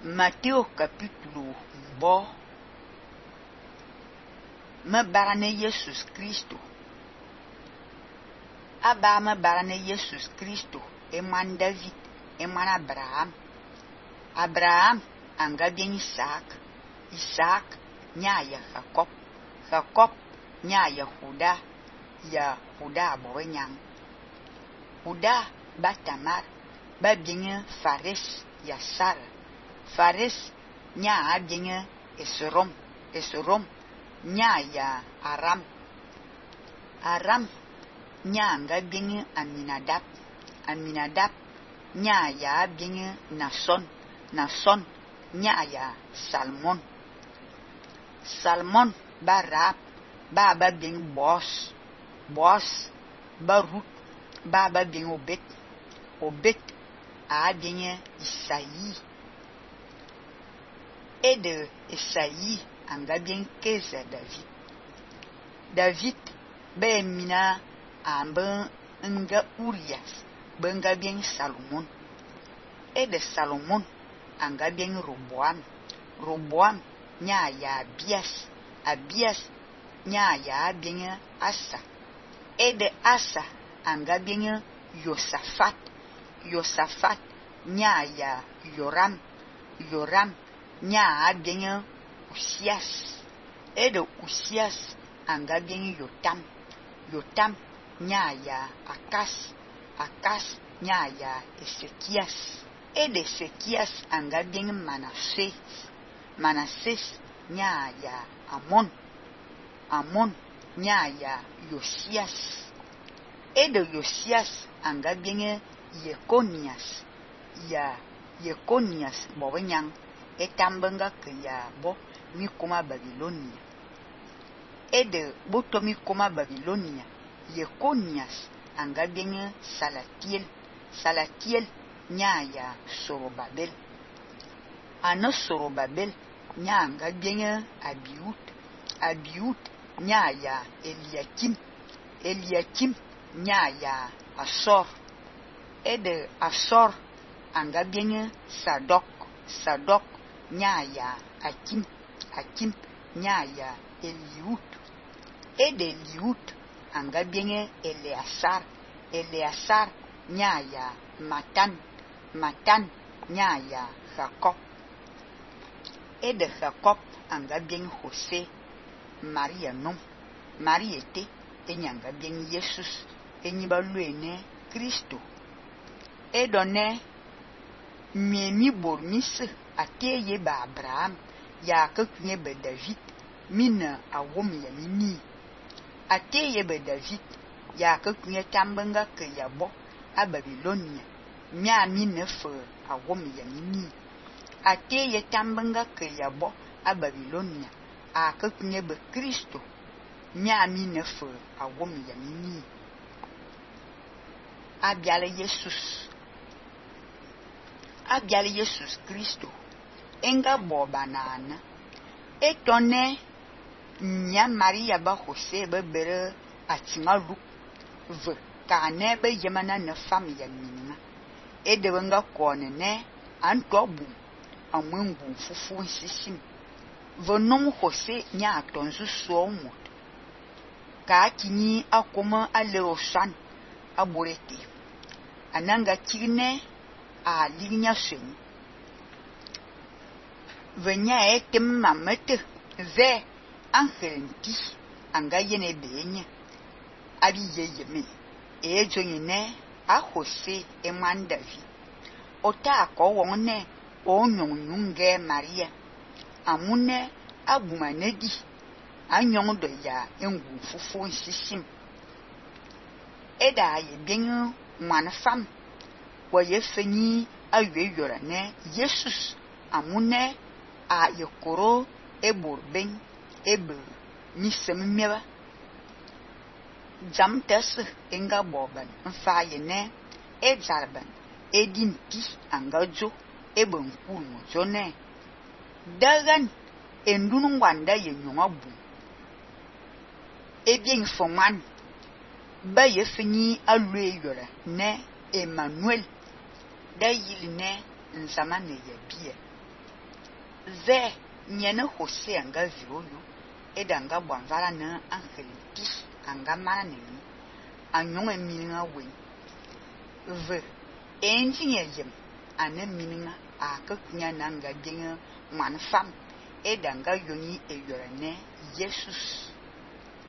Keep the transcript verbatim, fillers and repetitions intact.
Matteo capítulo bo me barane Jesus Cristo. Aba me barane Jesus Cristo e man David e man Abraham. Abraham anga bien Isaac. Isaac nya ya Jacob. Jacob nya ya Juda. Ya Juda bo nyang. Juda ba Tamar ba bien Fares ya Sara. Fares nya bien Esrom. Esrom nya ya Aram. Aram nya anga bien Aminadab. Aminadab nya ya bien Nason. Nason nya ya Salmon. Salmon ba Rab ba ba bien Boaz. Boaz ba Ruth ba ba bien Obed. Obed a bien Isaïe. Et de Isaïe anga bien Keza David. David ba mina ambe nga Urias benga bien Salomon. Et de Salomon anga bien Roboam. Roboam nya ya Abias. Abias nya ya bien Asa. Et de Asa anga bien Yosafat. Yosafat nya ya Yoram. Yoram nya bien Usias. Et de Usias anga bien Yotam. Yotam nya ya Akas. Akas nya ya Ezekias. Et de Ezekias anga bien Manassés. Manassés nya ya Amon. Amon nya ya Josias. Et de Josias anga bien Yekonias. Ya Yekonias bo nyang etambenga ke ya bo mi koma Babilonia. Et de boto mi koma Babilonia, Yekonias anga bien Salatiel. Salatiel nya ya Sorobabel. Ano Sorobabel nya anga bien Abiud. Abiud nya ya Eliakim. Eliakim nya ya Asor. Et de Asor anga bien Sadok. Sadok nya ya Akim. Akim nya ya Eliud. Et de Eliud anga bien Eleazar. Eleazar nya ya Matan. Matan nya ya Jacob. Et de Jacob anga bien José. Maria nom. Marie était et nyanga bien Jesus. Et niba luene Christo. Et donne miemi bormis ateye ba Abraham ya kakunye ba David mina awom ya mini. Ateye ba David ya kakunye tambenga ke yabo a Babilonia mia mine fe awom ya mini. Ateye tambenga ke yabo a Babilonia a kakunye ba Kristo mia mine fe awom ya mini. Abiale Jesus. Abiale Jesus Kristo enga boba nana etone nya Maria ba José ba bere atinga lu ve kane ba yemana na fam ya minima e de nga kone ne anto bu amwengu fufu sisim vonom José nya atonzu so mot ka kini akoma ale osan aborete ananga kine a linya sen venya etem mamete ve angelenti anga yene benya abi yeyeme e jonyine a José e man David ota ko wonne o nyonunge Maria amune abumanedi anyon do ya engu fufu sisim eda ye bien mwana fam wa ye feni awe yora ne Jesus amune a yekoro eborben ebe nisem meba jam tes enga boban mfa ye ne e jarban edinti angajo eben kulu jone dagan endunu wanda ye nyoma bu e bien foman ba ye fini alwe yora ne Emmanuel da yili ne nzamane ya bia ve nyene hose anga violo edanga bwanvala na angelti anga mana nini anyong emininga wen ve enjinye yem ane mininga akakunya nanga dinga man fam edanga yoni eyorene Jesus